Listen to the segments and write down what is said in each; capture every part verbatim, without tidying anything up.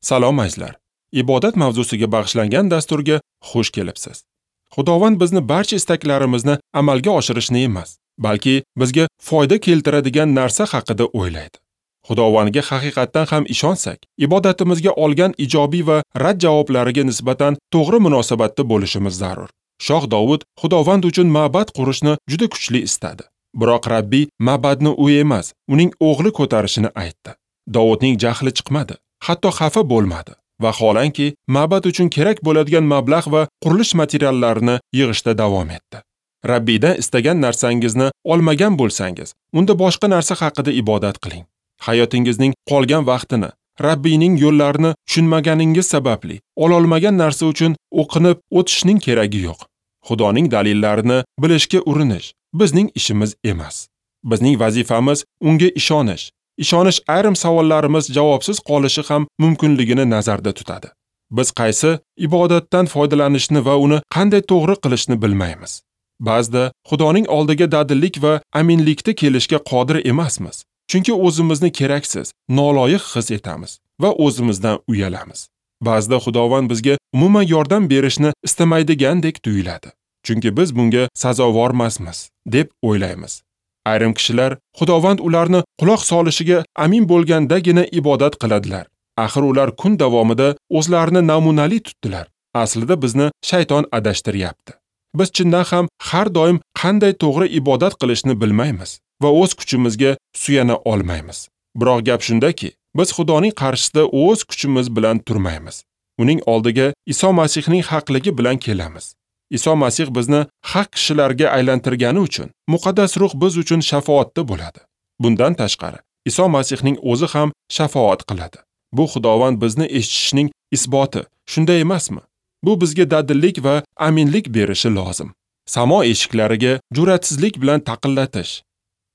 Salom azizlar. Ibodat mavzusiga bag'ishlangan dasturga xush kelibsiz. Xudovand bizni barcha istaklarimizni amalga oshirishni emas, balki bizga foyda keltiradigan narsa haqida o'ylaydi. Xudovandga haqiqatdan ham ishonsak, ibodatimizga olgan ijobiy va rad javoblariga nisbatan to'g'ri munosabatda bo'lishimiz zarur. Shoh Dovud Xudovand uchun ma'bad qurishni juda kuchli istadi. Biroq Rabbiy ma'badni u emas, uning o'g'li ko'tarishini aytdi. Dovudning jahli chiqmadi, hatto xafa bo'lmadi. Vaholanki, ma'bad uchun kerak bo'ladigan mablag' va qurilish materiallarini yig'ishda davom etdi. Rabbiydan istagan narsangizni olmagan bo'lsangiz, unda boshqa narsa haqida ibodat qiling. Hayotingizning qolgan vaqtini Rabbiyning yo'llarini tushunmaganingiz sababli ololmagan narsa uchun o'qinib o'tishning keragi yo'q. Xudoning dalillarini bilishga urinish bizning ishimiz emas. Bizning vazifamiz unga ishonish. Ishonish ayrim savollarimiz javobsiz qolishi ham mumkinligini nazarda tutadi. Biz qaysi ibodatdan foydalanishni va uni qanday to'g'ri qilishni bilmaymiz. Ba'zida Xudoning oldiga dadillik va aminlikda kelishga qodir emasmiz. Chunki o'zimizni keraksiz, noloyiq his etamiz va o'zimizdan uyalamiz. Ba'zida Xudovand bizga umuman yordam berishni istamaydigandek tuyuladi. Chunki biz bunga sazovormasmiz deb o'ylaymiz. Ayrim kishilar Xudovand ularni quloq solishiga amin bo'lgandagina ibodat qiladilar. Axir ular kun davomida o'zlarini namunali tutdilar. Aslida bizni shayton adashtiryapti. Biz chindan ham har doim qanday to'g'ri ibodat qilishni bilmaymiz va o'z kuchimizga suyana olmaymiz. Biroq gap shundaki, biz Xudoning qarshisida o'z kuchimiz bilan turmaymiz. Uning oldiga Iso Masihning haqligi bilan kelamiz. Iso Masih bizni haq kishilarga aylantirgani uchun Muqaddas Ruh biz uchun shafoatda bo'ladi. Bundan tashqari, Iso Masihning o'zi ham shafoat qiladi. Bu Xudovand bizni eshitishining isboti, shunday emasmi? Bu bizga dadillik va aminlik berishi lozim. Samo eshiklariga jur'atsizlik bilan taqillatish,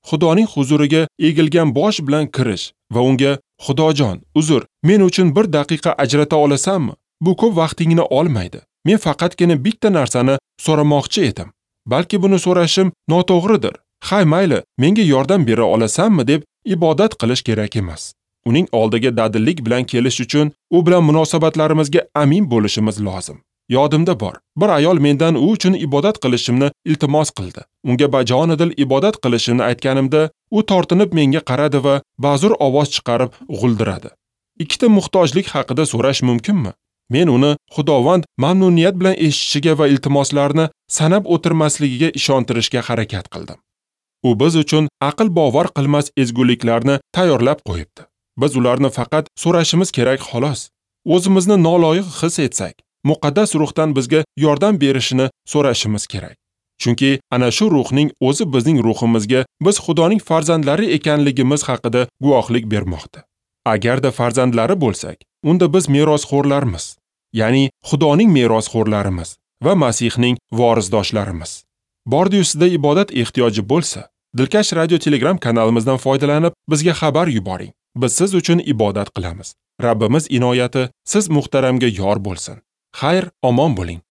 Xudoning huzuriga egilgan bosh bilan kirish va unga Xudojon, uzr, men uchun bir daqiqa ajrata olasanmi? Bu ko'p vaqtingni olmaydi. Men faqatgina bitta narsani so'ramoqchi edim. Balki buni so'rashim noto'g'ridir. Hay, mayli, menga yordam bera olasanmi deb ibodat qilish kerak emas. Uning oldiga dadillik bilan kelish uchun u bilan munosabatlarimizga amin bo'lishimiz lozim. Yodimda bor, bir ayol mendan u uchun ibodat qilishimni iltimos qildi. Unga bajonidil ibodat qilishimni aytganimda, u tortinib menga qaradi va ba'zur ovoz chiqarib g'uldiradi. Ikkita muhtojlik haqida so'rash mumkinmi? Men uni Xudovand mamnuniyat bilan eshitishiga va iltimoslarni sanab o'tirmasligiga ishontirishga harakat qildim. U biz uchun aql bovar qilmas ezguliklarni tayyorlab qo'yibdi. Biz ularni faqat so'rashimiz kerak xolos. O'zimizni noloyiq his etsak, Muqaddas Ruhdan bizga yordam berishini so'rashimiz kerak. Chunki ana shu ruhning o'zi bizning ruhimizga biz Xudoning farzandlari ekanligimiz haqida guvohlik bermoqda. Agarda farzandlari bo'lsak, unda biz merosxo'rlarmiz. Ya'ni Xudoning merosxo'rlarimiz va Masihning vorisdoshlarimiz. Bordi-yu sizda ibodat ehtiyoji bo'lsa, Dilkash Radio Telegram kanalimizdan foydalanib bizga xabar yuboring. Biz siz uchun ibodat qilamiz. Rabbimiz inoyati siz muhtaramga yor bo'lsin. Xayr, omon bo'ling.